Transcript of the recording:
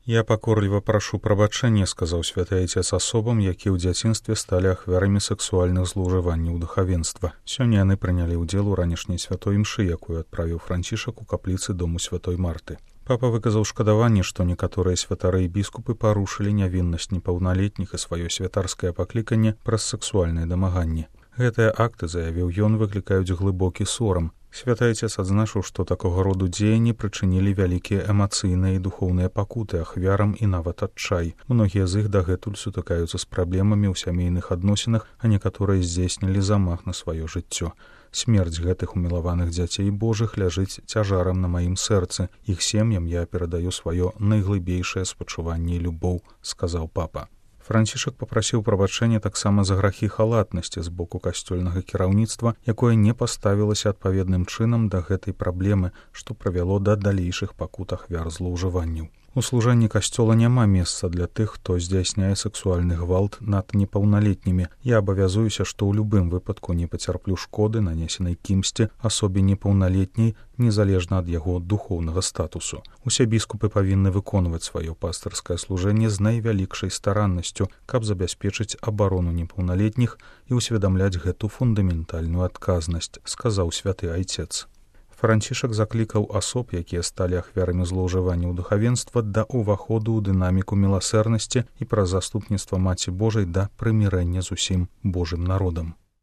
Я пакорліва прашу прабачэння, сказаў святы айцец асобам, якія ў дзяцінстве сталі ахвярамі сексуальных злоўжыванняў духавенства. Сёння яны прынялі ўдзел у ранішняй святой імшы, якую адправіў Францішак у капліцы дому святой Марты. Папа выказаў шкадаванне, што некаторыя святары і біскупы парушылі нявіннасць непаўналетніх і сваё святарскае пакліканне праз сексуальнае дамаганне. Гэтыя акты, заявіў ён, выклікаюць глыбокі сорам. Святы айцец адзначыў, што такога роду дзеянні прычынілі вялікія эмацыйныя і духоўныя пакуты ахвярам і нават адчай. Многія з іх дагэтуль сутыкаюцца з праблемамі ў сямейных адносінах, а некаторыя здзейснілі замах на сваё жыццё. Смерць гэтых умілаваных дзяцей Божых ляжыць цяжарам на маім сэрцы. Іх сем'ям я перадаю сваё найглыбейшае спачуванне і любоў, сказаў папа. Францішак папрасіў прабачэння таксама за грахі халатнасці з боку касцёльнага кіраўніцтва, якое не паставілася адпаведным чынам да гэтай праблемы, што прывяло да далейшых пакут ахвяр злоўжыванняў. У служэнні касцёла няма месца для тых, хто здзяйсняе сексуальны гвалт над непаўналетнімі. Я абавязуюся, што ў любым выпадку не пацярплю шкоды, нанесенай кімсьці асобе непаўналетняй, незалежна ад яго духоўнага статусу. Усе біскупы павінны выконваць сваё пастырскае служэнне з найвялікшай стараннасцю, каб забяспечыць абарону непаўналетніх і ўсведамляць гэту фундаментальную адказнасць, сказаў святы айцец. Францішак заклікаў асоб, якія сталі ахвярамі злоўжыванняў духавенства, да ўваходу ў дынаміку міласэрнасці і праз заступніцтва Маці Божай да прымірэння з усім Божым народам.